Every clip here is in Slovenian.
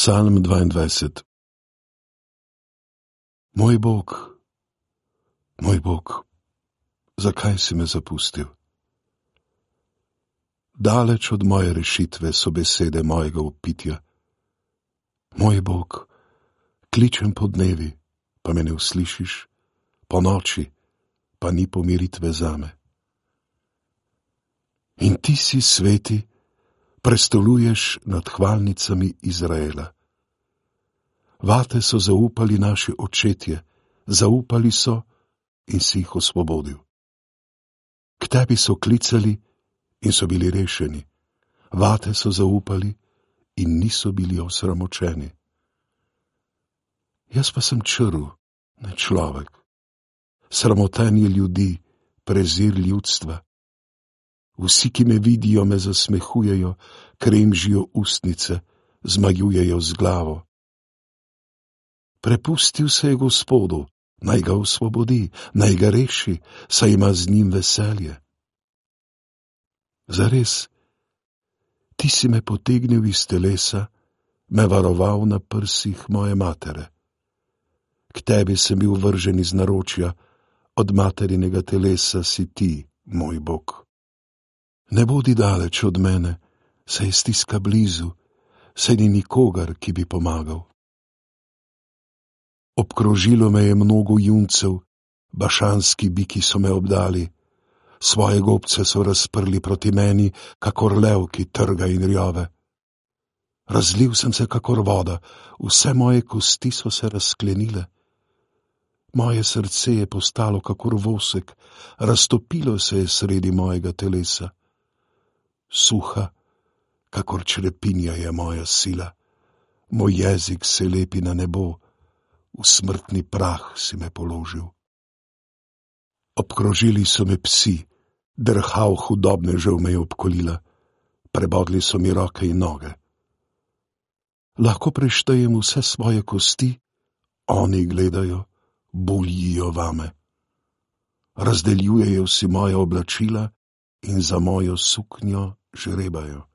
Psalm 22. Moj Bog, zakaj si me zapustil? Daleč od moje rešitve so besede mojega vpitja. Moj Bog, kličem po dnevi, pa me ne uslišiš, po noči, pa ni pomiritve zame. In ti si sveti, prestoluješ nad hvalnicami Izraela. Vate so zaupali naši očetje, zaupali so in si jih osvobodil. K tebi so klicali in so bili rešeni, vate so zaupali in niso bili osramočeni. Jaz pa sem črv, ne človek, sramotenje ljudi, prezir ljudstva. Vsi, ki me vidijo, me zasmehujejo, kremžijo ustnice, zmajujejo z glavo. Prepustil se je Gospodu, naj ga osvobodi, naj ga reši, saj ima z njim veselje. Zares, ti si me potegnil iz telesa, me varoval na prsih moje matere. K tebi sem bil vržen iz naročja, od materinega telesa si ti, moj Bog. Ne bodi daleč od mene, saj je stiska blizu, saj ni nikogar, ki bi pomagal. Obkrožilo me je mnogo juncev, bašanski biki so me obdali, svoje gobce so razprli proti meni, kakor lev, ki trga in rjove. Razlil sem se kakor voda, vse moje kosti so se razklenile. Moje srce je postalo kakor vosek, raztopilo se je sredi mojega telesa. Suha, kakor črepinja je moja sila, moj jezik se lepi na nebo, v smrtni prah si me položil. Obkrožili so me psi, drhav hudobnežev me je obkolila, prebodli so mi roke in noge. Lahko preštejem vse svoje kosti, oni gledajo, buljijo vame. Razdeljujejo si moje oblačila in za mojo suknjo žrebajo.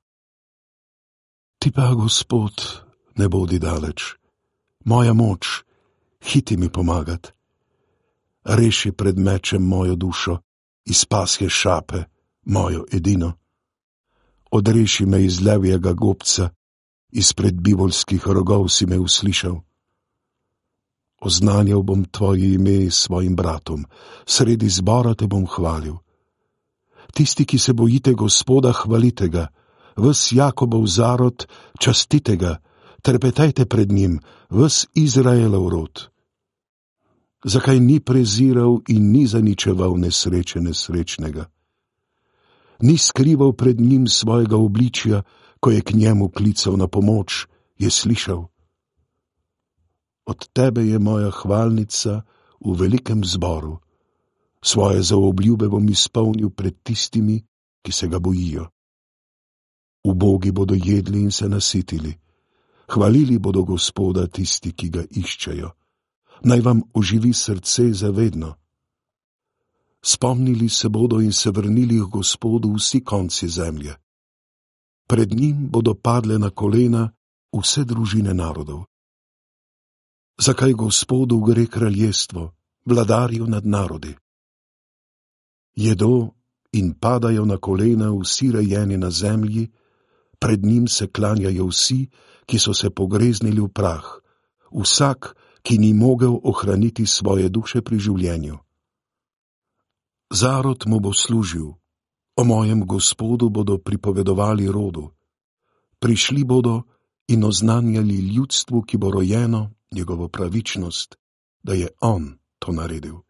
Ti pa, Gospod, ne bodi daleč, moja moč, hiti mi pomagat. Reši pred mečem mojo dušo, iz pasje šape, mojo edino. Odreši me iz levjega gobca, izpred bivolskih rogov si me uslišal. Oznanjal bom tvoje ime svojim bratom, sredi zbora te bom hvalil. Tisti, ki se bojite Gospoda, hvalite ga, ves Jakobov zarod, častite ga, trepetajte pred njim, ves Izraelov rod. Zakaj ni preziral in ni zaničeval nesreče nesrečnega? Ni skrival pred njim svojega obličja, ko je k njemu klical na pomoč, je slišal. Od tebe je moja hvalnica v velikem zboru, svoje zaobljube bom izpolnil pred tistimi, ki se ga bojijo. Ubogi bodo jedli in se nasitili, hvalili bodo Gospoda tisti, ki ga iščejo. Naj vam oživi srce zavedno. Spomnili se bodo in se vrnili k Gospodu vsi konci zemlje. Pred njim bodo padle na kolena vse družine narodov. Zakaj Gospodu gre kraljestvo, vladarju nad narodi? Jedo in padajo na kolena vsi rejeni na zemlji, pred njim se klanjajo vsi, ki so se pogreznili v prah, vsak, ki ni mogel ohraniti svoje duše pri življenju. Zarod mu bo služil, o mojem Gospodu bodo pripovedovali rodu. Prišli bodo in oznanjali ljudstvu, ki bo rojeno, njegovo pravičnost, da je on to naredil.